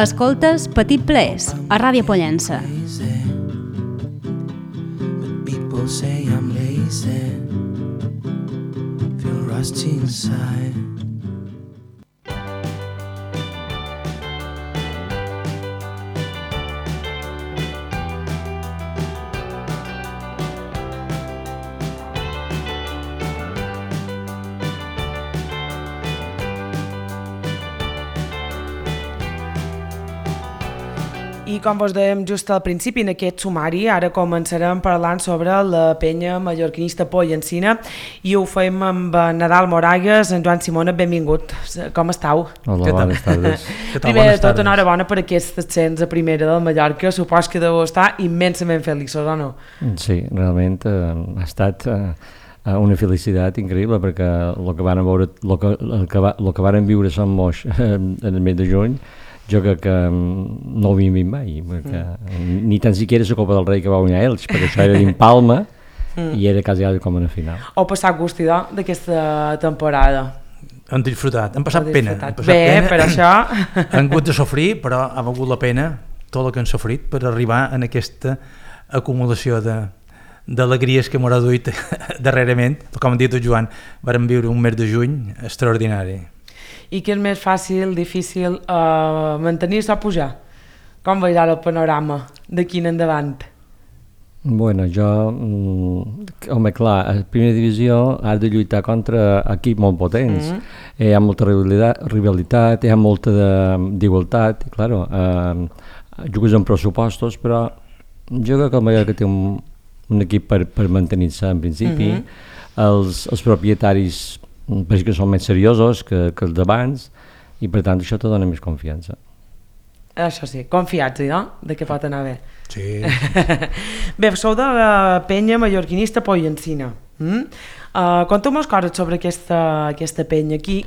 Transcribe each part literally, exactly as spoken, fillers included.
Escoltes Petit Plaers, a Ràdio Pollença. People say I'm lazy, feel rusty inside. I com vos dèiem just al principi, en aquest sumari, ara començarem parlant sobre la penya mallorquinista Pollencina i ho fem amb Nadal Moragues. En Joan Simona, benvingut. Com estàu? Hola, bones tardes. Primer de tot, enhorabona per aquest ascens a primera del Mallorca. Supos que deu estar immensament feliços, o no? Sí, realment eh, ha estat eh, una felicitat increïble, perquè el que van veure, el que, el que, va, el que van viure Sant Moix eh, en el mes de juny, jo crec que no ho havíem vist mai, perquè mm. ni tan siquiera la Copa del Rei que va guanyar ells, perquè això era d'Impalma mm. i era quasi com en la final. Heu passat gustidor d'aquesta temporada? Hem disfrutat, hem passat pena. Hem passat Bé, pena. per això... Hem hagut de sofrir, però ha valgut la pena tot el que hem sofrit per arribar en aquesta acumulació de d'alegries que m'haurà duit darrerament. Com ha dit el Joan, vam viure un mes de juny extraordinari. I què és més fàcil, difícil, uh, mantenir-se o pujar? Com veus ara el panorama d'aquí en endavant? Bueno, jo, mm, home, clar, a primera divisió has de lluitar contra equips molt potents. Mm-hmm. Hi ha molta rivalitat, rivalitat hi ha molta d'igualtat, i claro, eh, jugues amb pressupostos, però jo crec que el Mallorca té un, un equip per, per mantenir-se en principi. Mm-hmm. els, els propietaris perquè que són més seriosos que, que els d'abans i per tant això te dona més confiança. Això sí, confiats, no? De què pot anar bé. Sí. Bé, sou de la penya mallorquinista Pollencina. Mm? Uh, Conteu-nos coses sobre aquesta, aquesta penya. Aquí,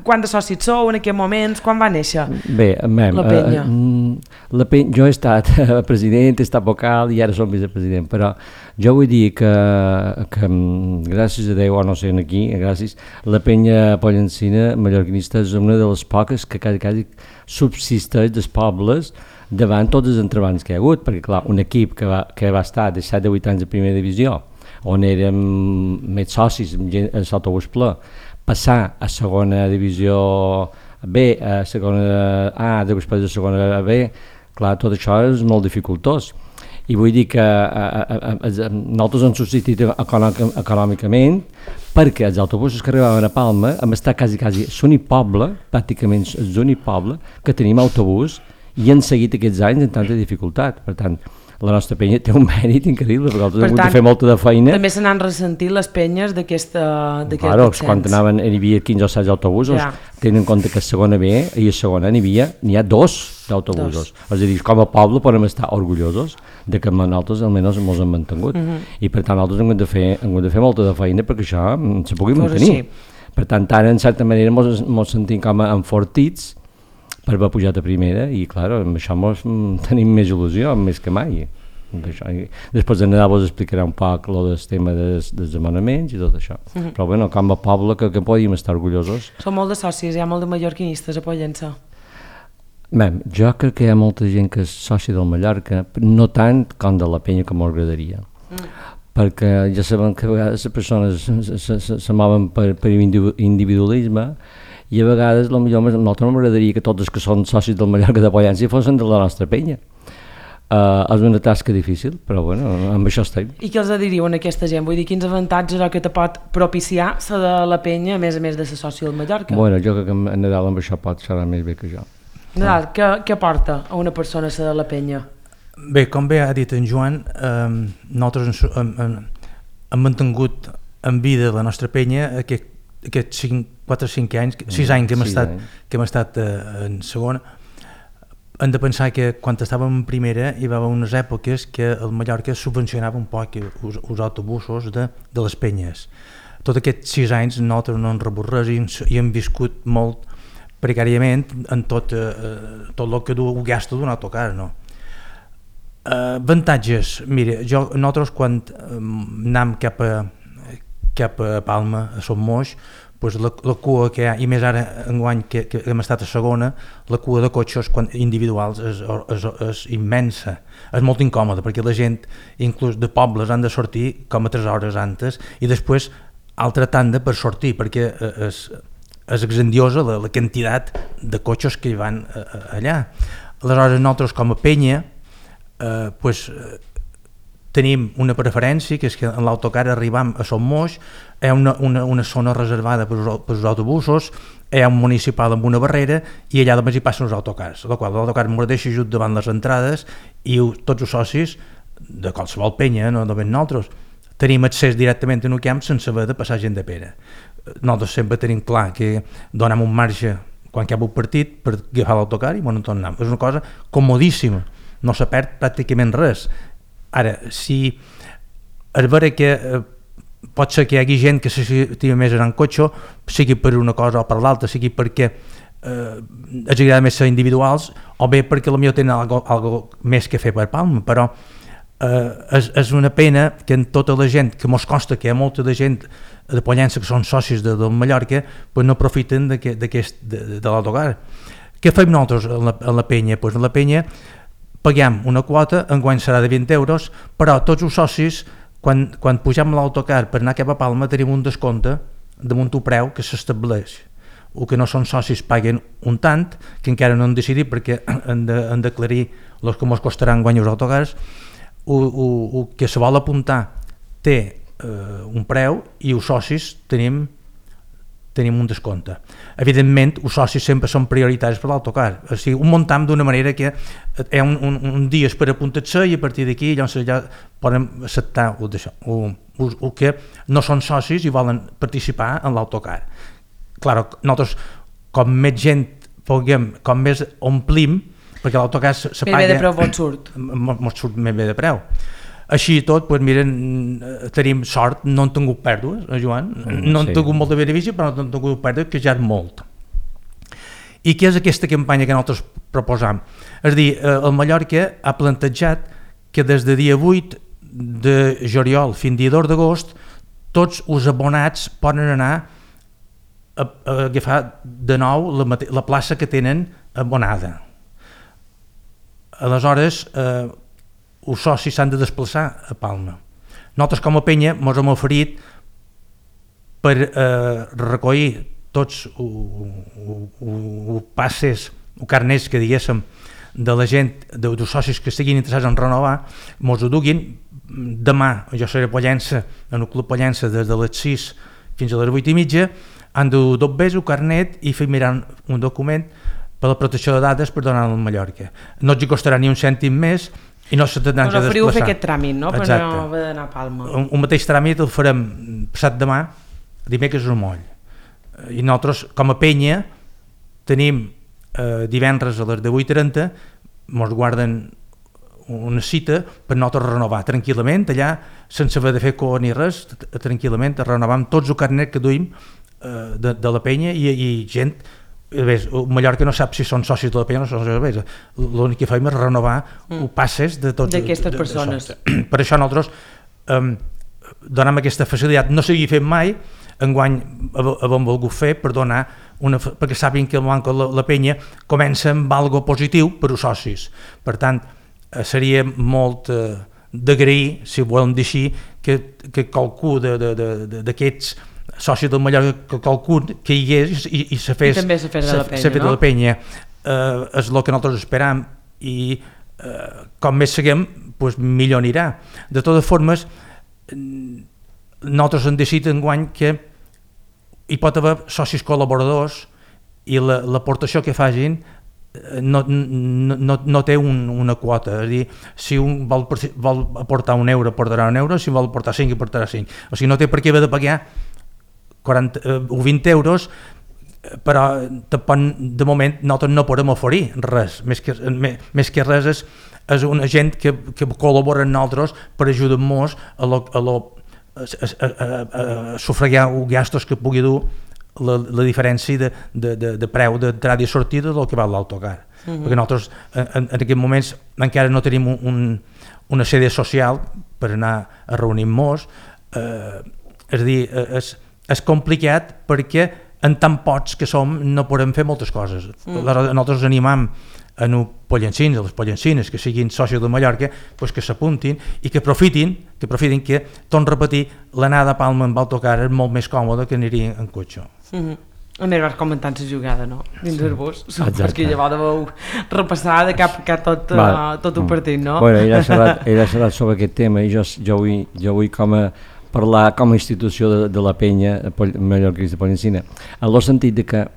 quant de socis sou en aquests moments? Quan va néixer Bé, mem, la penya? Uh, la penya? Jo he estat president, he estat vocal i ara som vicepresident, però jo vull dir que, que gràcies a Déu, o no sé, aquí, gràcies, la penya Pollencina mallorquinista és una de les poques que quasi, quasi subsisteix dels pobles davant tots els entrebancs que hi ha hagut, perquè clar, un equip que va, que va estar de set a vuit anys a primera divisió, on érem més socis, a l'autobús ple, passar a segona divisió B, a segona A, després a segona B, clar, tot això és molt dificultós. I vull dir que a, a, a, a, nosaltres hem subsistit econòmicament perquè els autobusos que arribaven a Palma hem estat quasi, quasi l'únic poble, pràcticament l'únic poble, que tenim autobús i han seguit aquests anys en tanta dificultat. Per tant, la nostra penya té un mèrit increïble, perquè nosaltres hem hagut de fer molta de feina. També se n'han ressentit les penyes d'aquest claro, quan anaven, hi havia quinze o setze autobusos, ja. Tenint en compte que a segona B i a segona n'hi havia, n'hi ha dos d'autobusos. És a dir, com a poble podem estar orgullosos de que nosaltres almenys ens hem mantingut. Uh-huh. I per tant, nosaltres hem hagut de fer, hem hagut de fer molta de feina perquè això se pugui mantenir. Sí. Per tant, ara, en certa manera, ens sentim com a enfortits per haver pujat a primera i, clar, amb això mos, tenim més il·lusió, més que mai. Això. Després de Nadal vos explicaré un poc el tema dels, dels demanaments i tot això. Uh-huh. Però, bueno, com a poble que, que podíem estar orgullosos. Són molt de socis, hi ha molt de mallorquinistes a Pollença. Bé, jo crec que hi ha molta gent que és soci del Mallorca, no tant com de la penya que m'agradaria. Mm. Perquè ja sabem que a vegades les persones se, se, se, se mouen per, per individualisme i a vegades potser no m'agradaria que tots els que són socis del Mallorca de Pollença fossin de la nostra penya. Uh, és una tasca difícil, però bueno, amb això estem. I què els diríeu a aquesta gent? Vull dir, quins avantatges que te pot propiciar la de la penya, a més a més de ser soci del Mallorca? Bueno, jo crec que en Nadal amb això pot ser més bé que jo. Nadal, ah. què, què aporta a una persona la de la penya? Bé, com bé ha dit en Joan, eh, nosaltres hem, hem, hem mantingut en vida la nostra penya aquest, aquests quatre o cinc anys, sis anys que hem estat, que hem estat eh, en segona. Hem de pensar que quan estàvem en primera hi va haver unes èpoques que el Mallorca subvencionava un poc els, els autobusos de, de les penyes. Tots aquests sis anys nosaltres no hem rebut res i, i hem viscut molt precàriament en tot, eh, tot el que du, gasta d'un autocar, no? Uh, avantatges, mira, jo, nosaltres quan um, anem cap a, cap a Palma, a Son Moix, pues la, la cua que hi ha, i més ara enguany que, que hem estat a segona, la cua de cotxes quan, individuals és, és, és immensa, és molt incòmoda perquè la gent, inclús de pobles, han de sortir com a tres hores antes i després altra tanda per sortir perquè és, és grandiosa la, la quantitat de cotxes que hi van a, a, allà. Aleshores nosaltres com a penya eh, pues, eh, tenim una preferència, que és que en l'autocar arribam a Son Moix, hi ha una, una, una zona reservada per als autobusos, hi ha un municipal amb una barrera i allà només hi passen els autocars, la qual l'autocar m'ho deixa just davant les entrades i tots els socis de qualsevol penya, no només nosaltres, tenim accés directament en un camp sense haver de passar gent de pera. Nosaltres sempre tenim clar que donem un marge quan cap un partit per agafar l'autocar i bueno, tornem. És una cosa comodíssima, no se perd pràcticament res. Ara, si és vera que eh, pot ser que hi hagi gent que s'estima més en cotxe, sigui per una cosa o per l'altra, sigui perquè eh, els agrada més ser individuals o bé perquè potser tenen algo, algo més que fer per Palma, però eh, és, és una pena que en tota la gent, que mos consta que hi ha molta de gent de Pollença que són socis de, de Mallorca, pues no aprofiten de, de, de l'autocar. Què fem nosaltres en la, en la penya? Pues en la penya paguem una quota, enguany serà de vint euros, però tots els socis, quan, quan pugem l'autocar per anar cap a Palma, tenim un descompte damunt un preu que s'estableix. O que no són socis paguen un tant, que encara no han decidit perquè han d'aclarir els que ens costaran enguany els autocars, o, o, o que se vol apuntar té eh, un preu i els socis tenim tenim un descompte. Evidentment, els socis sempre són prioritaris per l'autocar. O sigui, un muntam d'una manera que hi ha un, un, un dies per apuntar-se i a partir d'aquí llavors ja poden acceptar o, o, o, o que no són socis i volen participar en l'autocar. Clar, nosaltres, com més gent puguem, com més omplim, perquè l'autocar se paga... Més bé de preu vos surt. Mos surt més bé de preu. Així i tot, doncs, miren, tenim sort, no han tingut pèrdues, eh, Joan? No han sí. tingut molta benefici, però no han tingut pèrdues, que ja és molt. I què és aquesta campanya que nosaltres proposam? És a dir, el Mallorca ha plantejat que des de dia vuit de juliol fins dia dos d'agost tots els abonats poden anar a, a agafar de nou la, la plaça que tenen abonada. Aleshores, eh, els socis s'han de desplaçar a Palma. Nosaltres com a penya ens hem oferit per eh, recollir tots els passes o carnets que diguéssim de la gent, dels socis que estiguin interessats en renovar, ens ho duguin demà. Jo seré a Pollença, en el Club Pollença, des de les sis fins a les vuit i mitja, han de dur el carnet i fer mirar un document per la protecció de dades per donar-lo a Mallorca. No els costarà ni un cèntim més i no se tindran que desplaçar. Us oferiu fer aquest tràmit, no? Per Exacte. No haver d'anar a Palma. Un, un mateix tràmit el farem passat demà, dimecres al moll. I nosaltres, com a penya, tenim eh, divendres a les divuit i trenta, ens guarden una cita per nosaltres renovar tranquil·lament, allà, sense haver de fer cua ni res, tranquil·lament, renovam tots el carnet que duim eh, de, de la penya i, i gent... Ves, Mallorca no sap si són socis de la penya o no són socis de la penya. L'únic que fem és renovar mm. passes de tots d'aquestes persones. De, de per això nosaltres um, donem aquesta facilitat. No s'havia fet mai, enguany hem volgut fer per donar una, perquè sàpiguen que el Banco la, la penya comença amb algo positiu per als socis. Per tant, seria molt eh, d'agrair, si ho volem dir així, que, que qualcú d'aquests soci del Mallorca, que qualcun que hi hagués i, i se fes, I també se fes de la penya, se, se no? de la penya. Eh, és el que nosaltres esperam i eh, com més seguim, pues, millor anirà. De totes formes, nosaltres hem decidit enguany que hi pot haver socis col·laboradors i l'aportació la, que facin no, no, no, no té un, una quota. És a dir, si un vol, vol aportar un euro, aportarà un euro, si vol aportar cinc, aportarà cinc. O sigui, no té per què haver de pagar quaranta o vint euros, però de moment nosaltres no podem oferir res, més que, més que res és, és una gent que, que col·labora amb nosaltres per ajudar-nos a, lo, a, lo, a, a, a, a sufragar els gastos que pugui dur la, la diferència de, de, de, de preu d'entrada i sortida del que val l'autocar. Uh -huh. Perquè nosaltres en, en aquests moments encara no tenim un, un, una sèrie social per anar a reunir-nos, eh, és a dir, és, és complicat perquè en tan pocs que som no podem fer moltes coses. Uh -huh. Nosaltres animam a els pollencins, a les pollencines que siguin socis de Mallorca, pues que s'apuntin i que aprofitin, que aprofitin que, torno a repetir, l'anada a Palma amb autocar és molt més còmoda que anar en cotxe. Uh -huh. A més vas comentant la jugada, no? Dins sí. del bus, perquè llavors deveu repassar de cap a cap tot, uh, tot un partit, no? Bueno, ell ha xerrat, ell ha xerrat sobre aquest tema i jo, jo, vull, jo vull com a parlar com a institució de, de la penya mallorquinista pollencina, en el sentit de que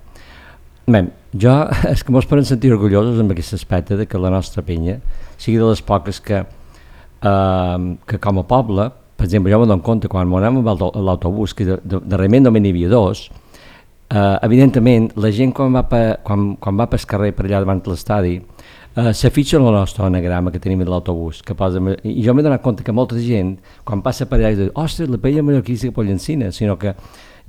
bé, jo, és que mos podem sentir orgullosos amb aquest aspecte de que la nostra penya sigui de les poques que, uh, que com a poble, per exemple, jo me dono compte quan anem amb l'autobús, que de, de, darrerament només n'hi havia dos, uh, evidentment la gent quan va, pe, quan, quan va pel carrer per allà davant de l'estadi uh, s'afitxa en el nostre anagrama que tenim de l'autobús, que posa, i jo m'he donat compte que molta gent quan passa per allà diu, ostres, la penya mallorquinista pollencina, sinó que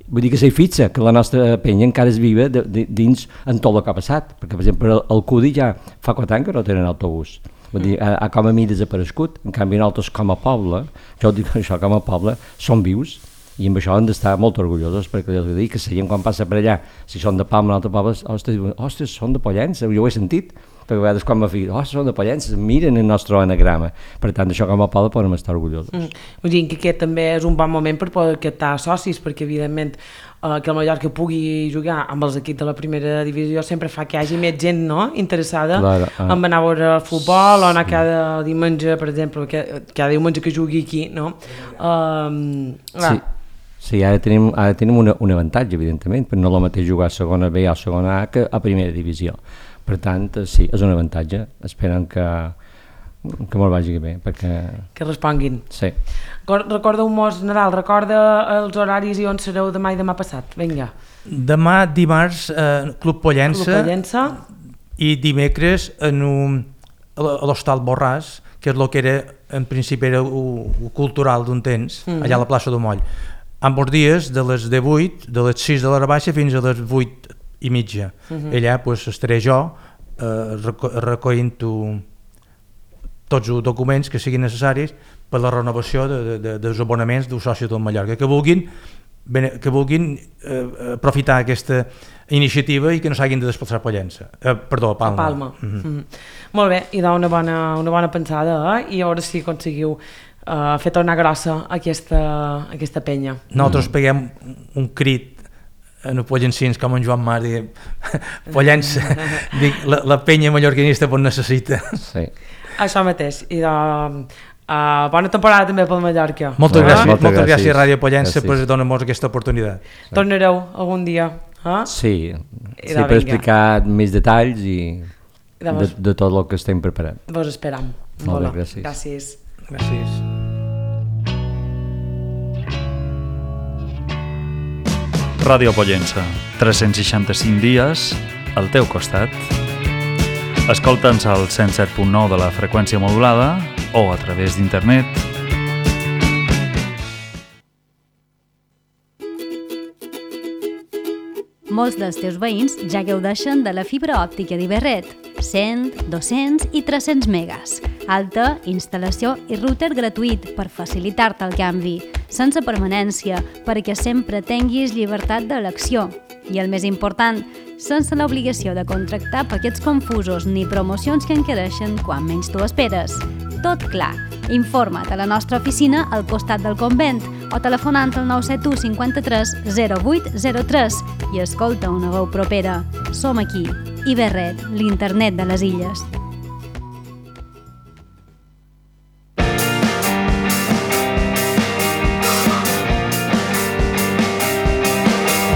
vull dir que s'hi fixa que la nostra penya encara és viva de, de, dins en tot el que ha passat, perquè per exemple el, el Cudi ja fa quatre anys que no tenen autobús, vull dir, ha, ha com a mi desaparegut, en canvi nosaltres com a poble, jo dic això com a poble, som vius i amb això hem d'estar molt orgullosos, perquè els dic que la gent quan passa per allà, si són de Palma o altre poble, ostres, ostres, són de Pollença, jo ho he sentit, perquè a vegades quan m'ha dit, ostres, són de Pollença, miren el nostre anagrama, per tant això com a poble podem estar orgullosos. Mm. Vull dir que aquest també és un bon moment per poder captar socis, perquè evidentment eh, que el Mallorca pugui jugar amb els equips de la primera divisió sempre fa que hi hagi més gent, no?, interessada claro, ah. en anar a veure el futbol o anar cada diumenge, per exemple, cada diumenge que jugui aquí, no? Um, sí. Sí, ara tenim, ara tenim una, un avantatge, evidentment, però no és el mateix jugar a segona B o a segona A que a primera divisió. Per tant, sí, és un avantatge. Esperem que, que molt vagi bé, perquè... Que responguin. Sí. Recorda-ho-mos, Nadal, recorda els horaris i on sereu demà i demà passat. Vinga. Demà, dimarts, eh, Club Pollença. Club Pollença. I dimecres en un, a l'Hostal Borràs, que és el que era, en principi era el cultural d'un temps, mm-hmm. allà a la plaça de Moll. Amb els dies de les divuit, de les sis de l'hora baixa fins a les vuit i mitja. Uh-huh. Allà pues, estaré jo eh, reco recollint tots els documents que siguin necessaris per la renovació de, de, de, dels abonaments dels socis del Mallorca, que vulguin, que vulguin eh, aprofitar aquesta iniciativa i que no s'hagin de desplaçar a Pollença. Eh, perdó, a Palma. A Palma. Uh-huh. Uh-huh. Molt bé, i dona una bona, una bona pensada, eh? I a veure si aconseguiu Uh, fer tornar grossa aquesta, aquesta penya. Nosaltres mm. peguem un crit en els pollencins com en Joan Mar, diguem, Pollença, dic, la, la penya mallorquinista pot necessita. Sí. Això mateix. I de, uh, bona temporada també pel Mallorca. Moltes ah? gràcies, moltes gràcies, gràcies Ràdio Pollença per donar-nos aquesta oportunitat. Sí. Tornareu algun dia? Eh? Sí, sí per vinga. Explicar més detalls i de, vos... de tot el que estem preparant. Vos esperam. Molt bé, gràcies. Gràcies. Gràcies. Ràdio Pollença, tres-cents seixanta-cinc dies al teu costat. Escolta'ns al cent set punt nou de la freqüència modulada o a través d'internet. Molts dels teus veïns ja gaudeixen de la fibra òptica d'Iberret, cent, dos-cents i tres-cents megas. Alta, instal·lació i router gratuït per facilitar-te el canvi, sense permanència, perquè sempre tinguis llibertat d'elecció. I el més important, sense l'obligació de contractar paquets confusos ni promocions que encareixen quan menys tu esperes. Tot clar. Informa't a la nostra oficina al costat del convent o telefonant al nou set u cinquanta-tres zero vuit zero tres i escolta una veu propera. Som aquí, Iberret, l'internet de les illes.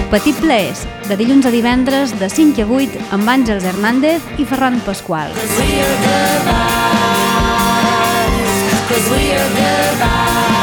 Petit Plaers, de dilluns a divendres de cinc a vuit amb Àngels Hernández i Ferran Pasqual. Cause we are the vibes, cause we are the vibes.